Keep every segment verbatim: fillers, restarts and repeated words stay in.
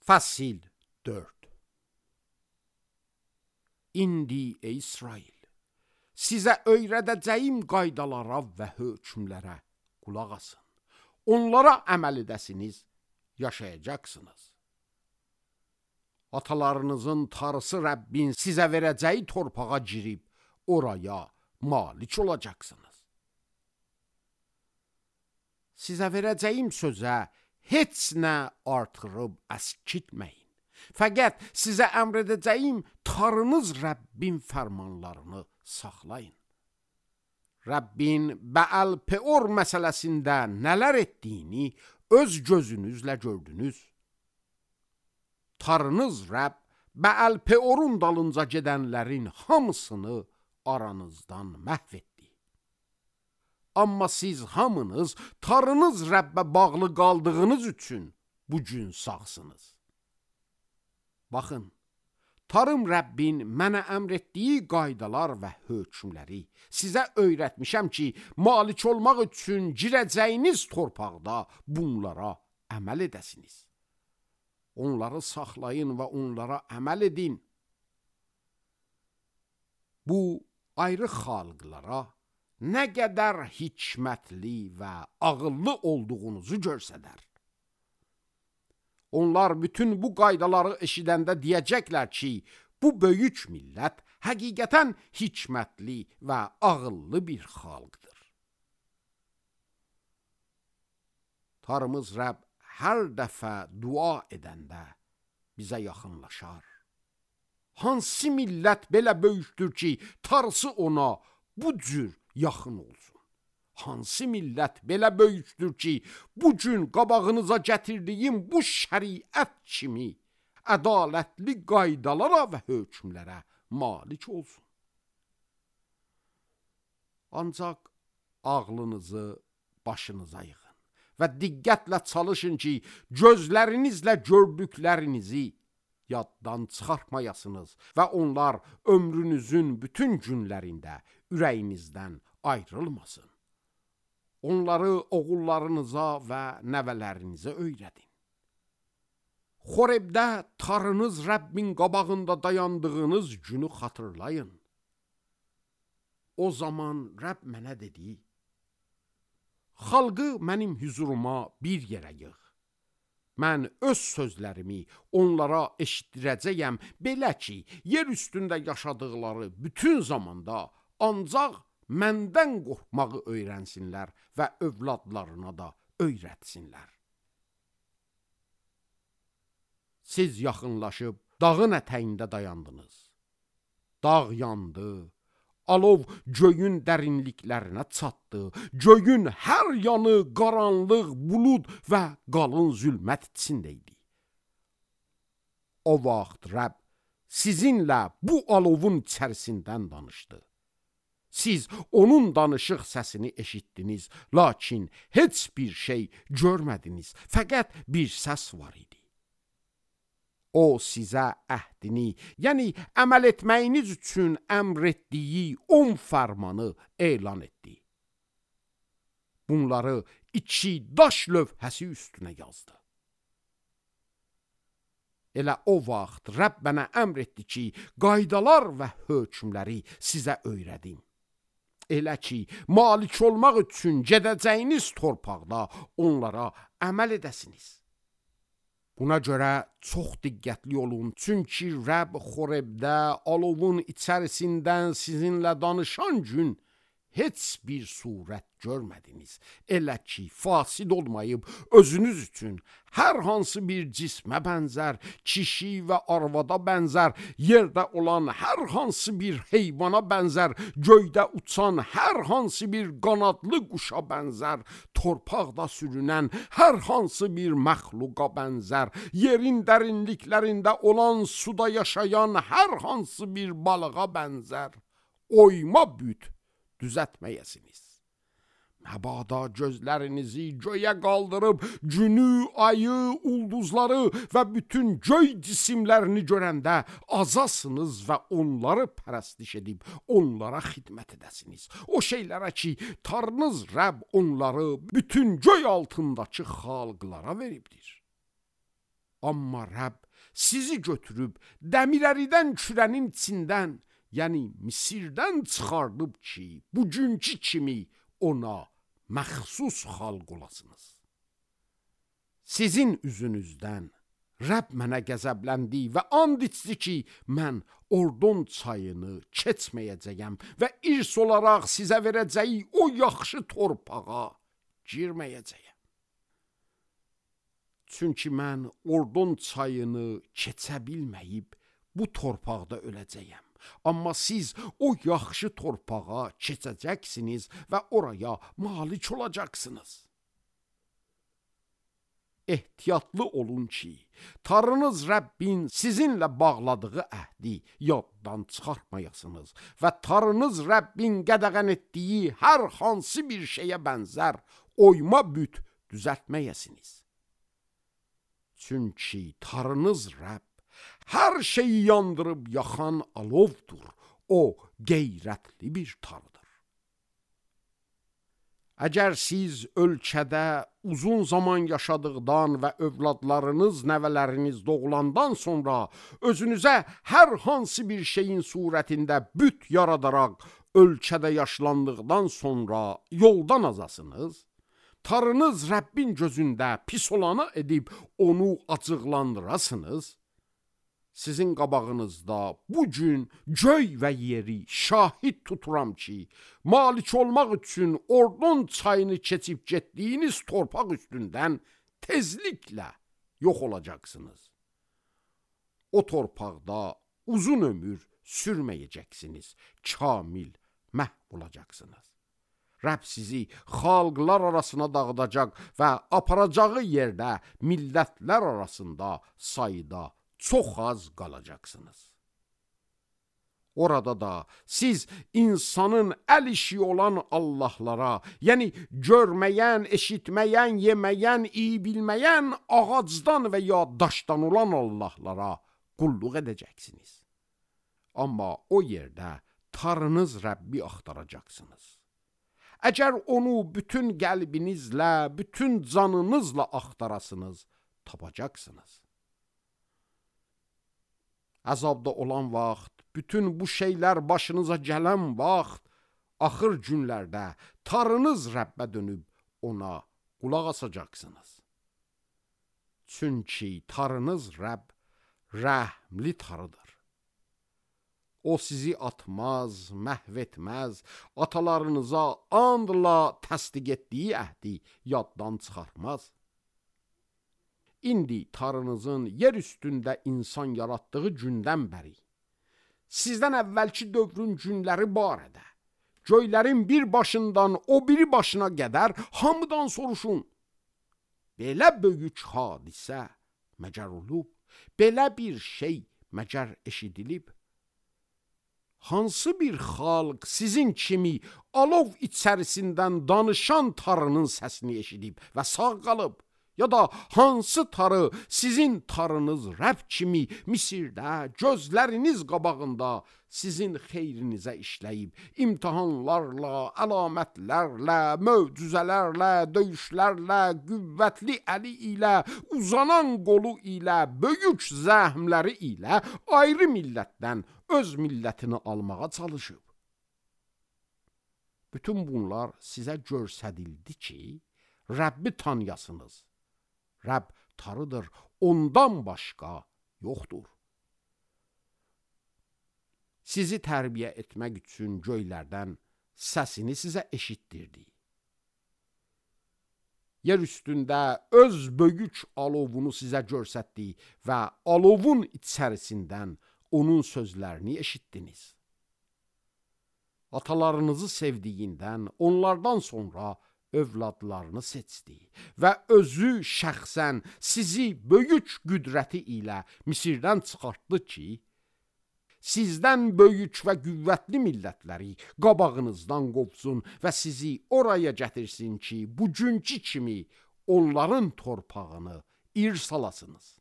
Fəsil dörd. İndi ey İsrail, sizə öyrədəcəyim qaydalara və hökmlərə qulaq asın. Onlara əməl edəsiniz, yaşayacaqsınız. Atalarınızın Tanrısı Rəbbin sizə verəcəyi torpağa girib, oraya malik olacaqsınız. Sizə verəcəyim sözə heç nə artırıb əskitməyin. Fəqət sizə əmr edəcəyim Tanrınız Rəbbin fərmanlarını saxlayın. Rəbbin Bəəl-Peor məsələsində nələr etdiyini öz gözünüzlə gördünüz. Tanrınız Rəbb Bəəl-Peorun dalınca gedənlərin hamısını aranızdan məhv etdi. Amma siz hamınız Tanrınız Rəbbə bağlı qaldığınız üçün bu gün sağsınız. Baxın, Tanrım Rəbbin mənə əmr etdiyi qaydalar və hökmləri sizə öyrətmişəm ki, malik olmaq üçün girəcəyiniz torpaqda bunlara əməl edəsiniz. Onları saxlayın və onlara əməl edin. Bu ayrı xalqlara nə qədər hikmətli və ağıllı olduğunuzu görsədər. Onlar bütün bu qaydaları eşidəndə deyəcəklər ki, bu böyük millət həqiqətən hikmətli və ağıllı bir xalqdır. Tanrımız Rəbb hər dəfə dua edəndə bizə yaxınlaşar. Hansı millət belə böyükdür ki, Tanrısı ona bu cür yaxın olsun? Hansı millət belə böyükdür ki, bu gün qabağınıza gətirdiyim bu şəriət kimi ədalətli qaydalara və hökmlərə malik olsun? Ancaq ağlınızı başınıza yığın və diqqətlə çalışın ki, gözlərinizlə gördüklərinizi yaddan çıxartmayasınız və onlar ömrünüzün bütün günlərində ürəyinizdən ayrılmasın. Onları oğullarınıza və nəvələrinizə öyrədin. Xorebdə Tanrınız Rəbbin qabağında dayandığınız günü xatırlayın. O zaman Rəbb mənə dedi, xalqı mənim hüzuruma bir yerə yığ. Mən öz sözlərimi onlara eşitdirəcəyəm, belə ki, yer üstündə yaşadıqları bütün zamanda ancaq məndən qorxmağı öyrənsinlər və övladlarına da öyrətsinlər. Siz yaxınlaşıb dağın ətəyində dayandınız. Dağ yandı, alov göyün dərinliklərinə çatdı, göyün hər yanı qaranlıq, bulud və qalın zülmət içində idi. O vaxt Rəbb sizinlə bu alovun içərisindən danışdı. Siz onun danışıq səsini eşitdiniz, lakin heç bir şey görmədiniz, fəqət bir səs var idi. O sizə əhdini, yəni əməl etməyiniz üçün əmr etdiyi on fərmanı elan etdi. Bunları iki daş lövhəsi üstünə yazdı. Elə o vaxt Rəbb mənə əmr etdi ki, qaydalar və hökmləri sizə öyrədim. Elə ki, malik olmaq üçün gedəcəyiniz torpaqda onlara əməl edəsiniz. Buna görə çox diqqətli olun, çünki Rəbb Xorebdə alovun içərisindən sizinlə danışan gün heç bir surət görmədiniz. Elə ki, fasid olmayıb özünüz üçün hər hansı bir cismə bənzər, kişi və arvada bənzər, yerdə olan hər hansı bir heyvana bənzər, göydə uçan hər hansı bir qanadlı quşa bənzər, torpaqda sürünən hər hansı bir məxluqa bənzər, yerin dərinliklərində olan suda yaşayan hər hansı bir balığa bənzər, oyma büt düzətməyəsiniz. Məbada gözlərinizi göyə qaldırıb günü, ayı, ulduzları və bütün göy cisimlərini görəndə azasınız və onları pərəstiş edib onlara xidmət edəsiniz. O şeylərə ki, Tanrınız Rəbb onları bütün göy altındakı xalqlara veribdir. Amma Rəbb sizi götürüb dəmirəridən kürənin içindən, yəni Misirdən çıxardıb ki, bugünkü kimi ona məxsus xalq olasınız. Sizin üzünüzdən Rəbb mənə qəzəbləndi və and içdi ki, mən Ordon çayını keçməyəcəyəm və irs olaraq sizə verəcəyi o yaxşı torpağa girməyəcəyəm. Çünki mən Ordon çayını keçə bilməyib bu torpaqda öləcəyəm. Amma siz o yaxşı torpağa keçəcəksiniz və oraya malik olacaqsınız. Ehtiyatlı olun ki, Tanrınız Rəbbin sizinlə bağladığı əhdi yaddan çıxartmayasınız və Tanrınız Rəbbin qədəğən etdiyi hər hansı bir şeyə bənzər oyma büt düzəltməyəsiniz. Çünki Tanrınız Rəbb hər şeyi yandırıb yaxan alovdur. O qeyrətli bir Tanrıdır. Əgər siz ölkədə uzun zaman yaşadıqdan və övladlarınız, nəvələriniz doğulandan sonra özünüzə hər hansı bir şeyin surətində büt yaradaraq ölkədə yaşlandıqdan sonra yoldan azasınız, Tanrınız Rəbbin gözündə pis olanı edib onu acıqlandırasınız, sizin qabağınızda bu gün göy və yeri şahid tuturam ki, malik olmaq üçün Ordon çayını keçib getdiyiniz torpaq üstündən tezliklə yox olacaqsınız. O torpaqda uzun ömür sürməyəcəksiniz, kamil məhv olacaqsınız. Rəbb sizi xalqlar arasına dağıdacaq və aparacağı yerdə millətlər arasında sayda çox az qalacaqsınız. Orada da siz insanın əl işi olan Allahlara, yəni görməyən, eşitməyən, yeməyən, iyi bilməyən, ağacdan və ya daşdan olan Allahlara qulluq edəcəksiniz. Amma o yerdə Tanrınız Rəbbi axtaracaqsınız. Əgər onu bütün qəlbinizlə, bütün canınızla axtarasınız, tapacaqsınız. Əzabda olan vaxt, bütün bu şeylər başınıza gələn vaxt, axır günlərdə Tanrınız Rəbbə dönüb ona qulaq asacaqsınız. Çünki Tanrınız Rəbb rəhmli Tanrıdır. O sizi atmaz, məhv etməz, atalarınıza andla təsdiq etdiyi əhdi yaddan çıxartmaz. İndi Tanrınızın yer üstündə insan yaratdığı gündən bəri, sizdən əvvəlki dövrün günləri barədə, göylərin bir başından o biri başına qədər hamıdan soruşun. Belə böyük hadisə məgər olub, belə bir şey məgər eşidilib? Hansı bir xalq sizin kimi alov içərisindən danışan Tanrının səsini eşidib və sağ qalıb? Ya da hansı Tanrı sizin Tanrınız Rəbb kimi Misirdə gözləriniz qabağında sizin xeyrinizə işləyib, imtihanlarla, əlamətlərlə, möcüzələrlə, döyüşlərlə, qüvvətli əli ilə, uzanan qolu ilə, böyük zəhmləri ilə ayrı millətdən öz millətini almağa çalışıb. Bütün bunlar sizə göstərildi ki, Rəbbi tanıyasınız. Rəbb Tanrıdır, ondan başqa yoxdur. Sizi tərbiyə etmək üçün göylərdən səsini sizə eşitdirdi. Yer üstündə öz böyük alovunu sizə göstərdi və alovun içərisindən onun sözlərini eşitdiniz. Atalarınızı sevdiyindən onlardan sonra övladlarını seçdi və özü şəxsən sizi böyük qüdrəti ilə Misirdən çıxartdı ki, sizdən böyük və qüvvətli millətləri qabağınızdan qovsun və sizi oraya gətirsin ki, bugünkü kimi onların torpağını irs alasınız.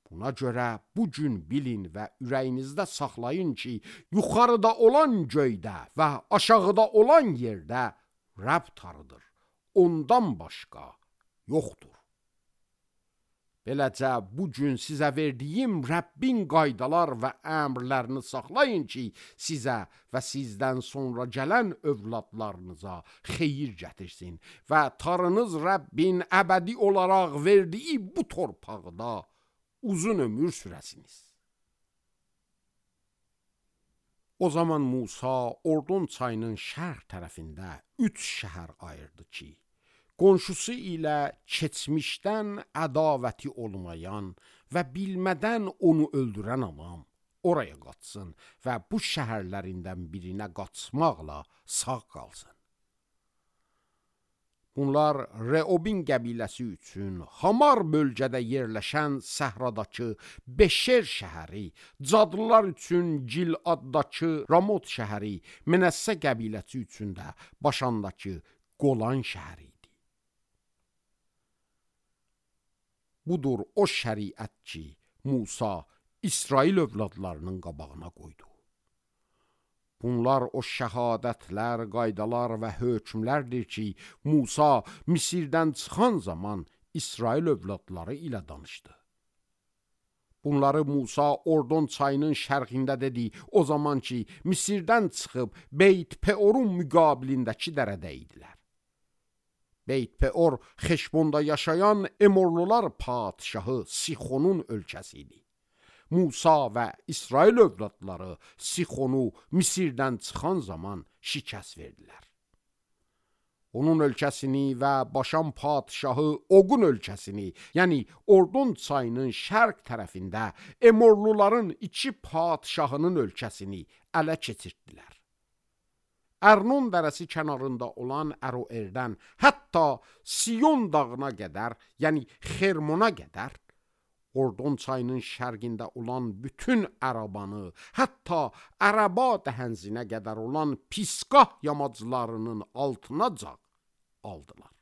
Buna görə bugün bilin və ürəyinizdə saxlayın ki, yuxarıda olan göydə və aşağıda olan yerdə Rəbb Tanrıdır, ondan başqa yoxdur. Beləcə, bugün sizə verdiyim Rəbbin qaydalar və əmrlərini saxlayın ki, sizə və sizdən sonra gələn övladlarınıza xeyir gətirsin və Tanrınız Rəbbin əbədi olaraq verdiyi bu torpaqda uzun ömür sürəsiniz. O zaman Musa Ordon çayının şərq tərəfində üç şəhər ayırdı ki, qonşusu ilə keçmişdən ədavəti olmayan və bilmədən onu öldürən adam oraya qaçsın və bu şəhərlərindən birinə qaçmaqla sağ qalsın. Bunlar Reobin qəbiləsi üçün Hamar bölgədə yerləşən səhradakı Beşer şəhəri, Cadlılar üçün Giladdakı Ramot şəhəri, Menəssə qəbiləsi üçün də Başandakı Qolan şəhəri idi. Budur o şəriət ki, Musa İsrail övladlarının qabağına qoydu. Bunlar o şəhadətlər, qaydalar və hökmlərdir ki, Musa Misirdən çıxan zaman İsrail övladları ilə danışdı. Bunları Musa Ordon çayının şərqində dedi, o zaman ki, Misirdən çıxıb Beyt Peorun müqabilindəki dərədə idilər. Beyt Peor Xeşbonda yaşayan Emorlular padişahı Sixonun ölkəsi idi. Musa və İsrail övladları Sixonu Misirdən çıxan zaman şikəst verdilər. Onun ölkəsini və Başan padişahı Oqun ölkəsini, yəni Ordon çayının şərq tərəfində Emorluların iki padişahının ölkəsini ələ keçirdilər. Ərnon dərəsi kənarında olan Əroerdən hətta Siyon dağına qədər, yəni Xermona qədər, Ordon çayının şərqində olan bütün Ərabanı, hətta Ərəba dəhənzinə qədər olan Pisqah yamaclarının altına aldılar.